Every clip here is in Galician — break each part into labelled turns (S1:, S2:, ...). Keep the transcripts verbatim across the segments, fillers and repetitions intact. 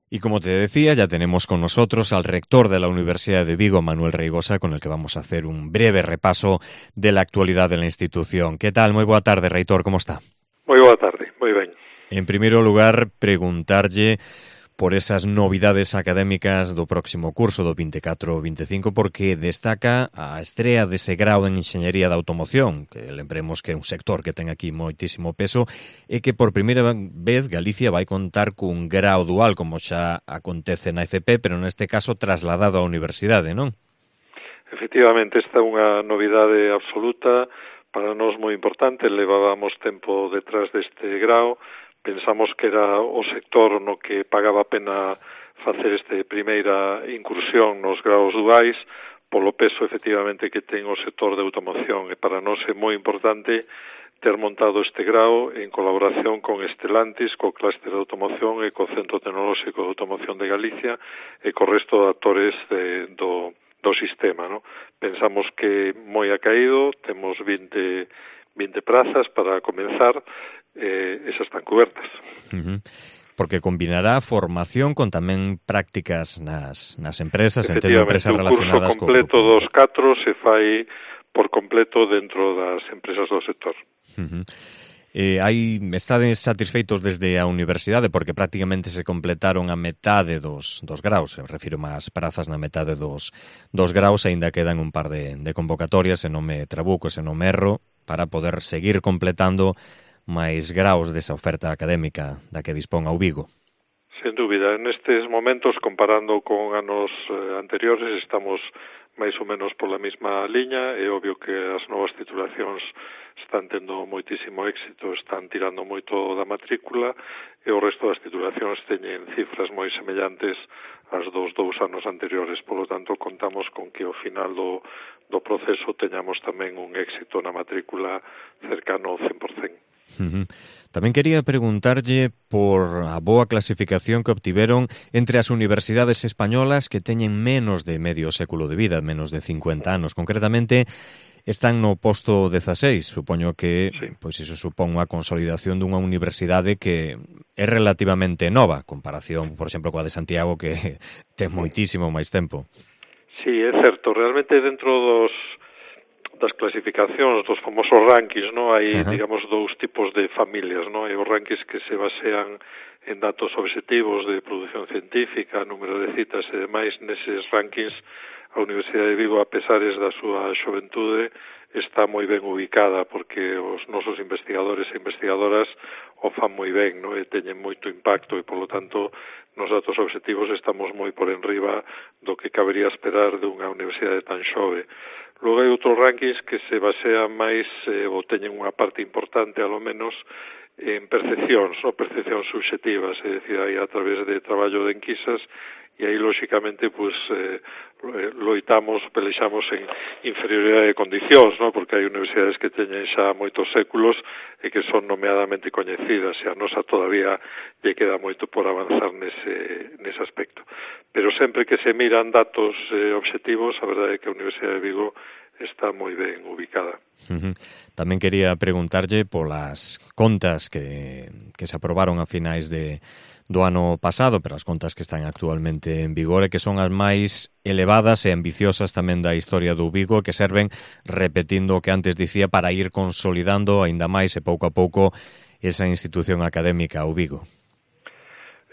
S1: Y como te decía, ya tenemos con nosotros al rector de la Universidad de Vigo, Manuel Reigosa, con el que vamos a hacer un breve repaso de la actualidad de la institución. ¿Qué tal? Moi boa tarde, reitor, como está?
S2: Moi boa tarde, moi ben.
S1: En primeiro lugar, preguntarlle por esas novidades académicas do próximo curso do vinte e catro vinte e cinco, porque destaca a estrea dese grau en Enxeñería da Automoción, que lembremos que é un sector que ten aquí moitísimo peso, e que por primeira vez Galicia vai contar cun grau dual, como xa acontece na F P, pero neste caso trasladado á universidade, non?
S2: Efectivamente, esta é unha novidade absoluta, para nós moi importante, levábamos tempo detrás deste grau, pensamos que era o sector no que pagaba a pena facer este primeira incursión nos graus duais, polo peso efectivamente que ten o sector de automoción, e para nós é moi importante ter montado este grau en colaboración con Estelantis, co clúster de automoción e co Centro Tecnolóxico de Automoción de Galicia e co resto de actores de, do, do sistema, ¿no? Pensamos que moi ha caído, temos vinte, vinte prazas para comenzar, eh, esas están cobertas.
S1: Uh-huh. Porque combinará formación con tamén prácticas nas, nas empresas, entendo empresas relacionadas co...
S2: Efectivamente, o curso completo dos catro se fai por completo dentro das empresas do sector.
S1: Uh-huh. Eh, hai, estades satisfeitos desde a universidade porque prácticamente se completaron a metade dos, dos graus, refiro máis prazas na metade dos, dos graus, aínda quedan un par de, de convocatorias, se non me trabuco, se non me erro, para poder seguir completando máis graus desa oferta académica da que dispón ao Vigo.
S2: Sen dúbida, nestes momentos, comparando con anos eh, anteriores, estamos máis ou menos pola mesma liña. É obvio que as novas titulacións están tendo moitísimo éxito, están tirando moito da matrícula, e o resto das titulacións teñen cifras moi semellantes ás dos dous anos anteriores. Por lo tanto, contamos con que ao final do, do proceso teñamos tamén un éxito na matrícula cercano ao cen por cen.
S1: Uh-huh. Tamén quería preguntarlle por a boa clasificación que obtiveron entre as universidades españolas que teñen menos de medio século de vida, menos de cincuenta anos. Concretamente, están no posto dezaseis. Supoño que sí. Pois iso supón unha consolidación dunha universidade que é relativamente nova, comparación, por exemplo, coa de Santiago, que ten moitísimo máis tempo.
S2: Sí, é certo. Realmente, dentro dos das clasificacións, dos famosos rankings, no, hai, uh-huh. digamos, dous tipos de familias, no? Hai os rankings que se basean en datos objetivos de produción científica, número de citas e demais. Neses rankings, a Universidade de Vigo, a pesares da súa xoventude, está moi ben ubicada, porque os nosos investigadores e investigadoras o fan moi ben, no? E teñen moito impacto, e, polo tanto, nos datos objetivos estamos moi por enriba do que cabería esperar dunha universidade tan xove. Logo hai outros rankings que se basean máis, eh, ou teñen unha parte importante, alo menos, en percepcións, no? Percepcións subjetivas, é dicir, aí a través de traballo de enquisas, e aí, lóxicamente, pues, eh, loitamos, pelexamos en inferioridade de condicións, no? Porque hai universidades que teñen xa moitos séculos e que son nomeadamente coñecidas, e a nosa todavía lle queda moito por avanzar nese, nese aspecto. Pero sempre que se miran datos eh, objetivos, a verdade é que a Universidade de Vigo está moi ben ubicada.
S1: Uh-huh. Tamén quería preguntarlle polas contas que, que se aprobaron a finais de, do ano pasado, pero as contas que están actualmente en vigor e que son as máis elevadas e ambiciosas tamén da historia do Vigo, que serven, repetindo o que antes dicía, para ir consolidando aínda máis e pouco a pouco esa institución académica ao Vigo.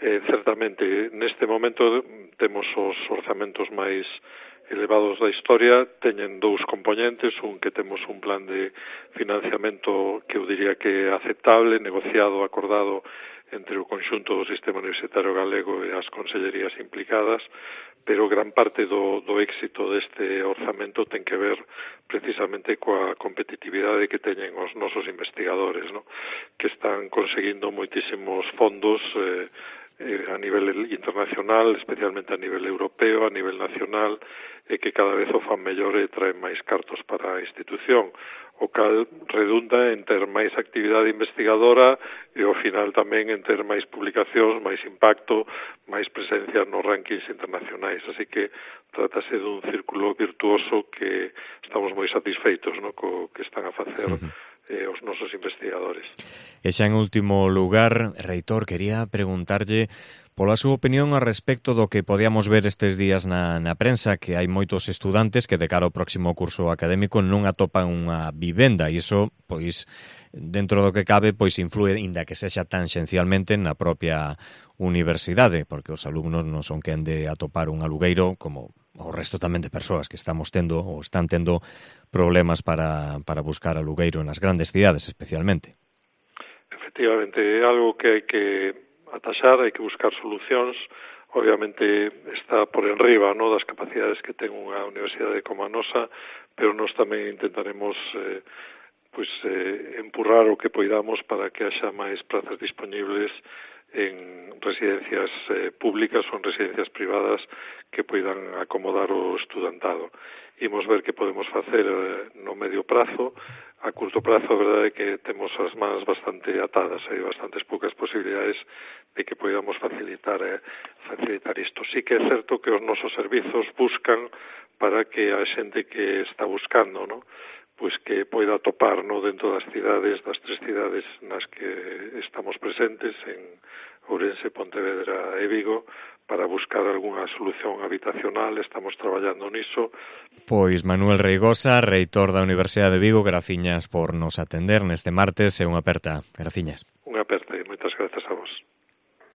S2: Eh, certamente, neste momento temos os orzamentos máis elevados da historia, teñen dous componentes, un que temos un plan de financiamento que eu diría que é aceptable, negociado, acordado entre o conxunto do sistema universitario galego e as consellerías implicadas, pero gran parte do, do éxito deste orzamento ten que ver precisamente coa competitividade que teñen os nosos investigadores, ¿no? Que están conseguindo moitísimos fondos eh, eh, a nivel internacional, especialmente a nivel europeo, a nivel nacional, e que cada vez o fan mellor e traen máis cartos para a institución, o cal redunda en ter máis actividade investigadora e ao final tamén en ter máis publicacións, máis impacto, máis presencia nos rankings internacionais. Así que trátase dun círculo virtuoso que estamos moi satisfeitos, ¿no?, co que están a facer eh, os nosos investigadores.
S1: E xa en último lugar, reitor, quería preguntarlle pola súa opinión a respecto do que podíamos ver estes días na, na prensa, que hai moitos estudantes que de cara ao próximo curso académico non atopan unha vivenda, e iso, pois, dentro do que cabe, pois influe, inda que sexa tanxencialmente, na propia universidade, porque os alumnos non son quen de atopar un alugueiro, como o resto tamén de persoas que estamos tendo ou están tendo problemas para, para buscar alugueiro nas grandes cidades, especialmente.
S2: Efectivamente, é algo que hai que ataxar, hai que buscar solucións. Obviamente está por enriba, no, das capacidades que ten unha universidade como a nosa, pero nós tamén intentaremos eh, pues, eh, empurrar o que poidamos para que haxa máis prazas disponibles en residencias eh, públicas ou en residencias privadas que poidan acomodar o estudantado. Imos ver que podemos facer eh, no medio prazo. A curto prazo, a verdade é que temos as mans bastante atadas, hai bastantes poucas posibilidades de que podamos facilitar eh, facilitar isto. Sí que é certo que os nosos servizos buscan para que a xente que está buscando, ¿no?, pois que poida atopar, no, dentro das cidades, das tres cidades nas que estamos presentes, en Ourense, Pontevedra e Vigo, para buscar algunha solución habitacional. Estamos traballando niso.
S1: Pois Manuel Reigosa, reitor da Universidade de Vigo, graciñas por nos atender neste martes e unha aperta. Graciñas.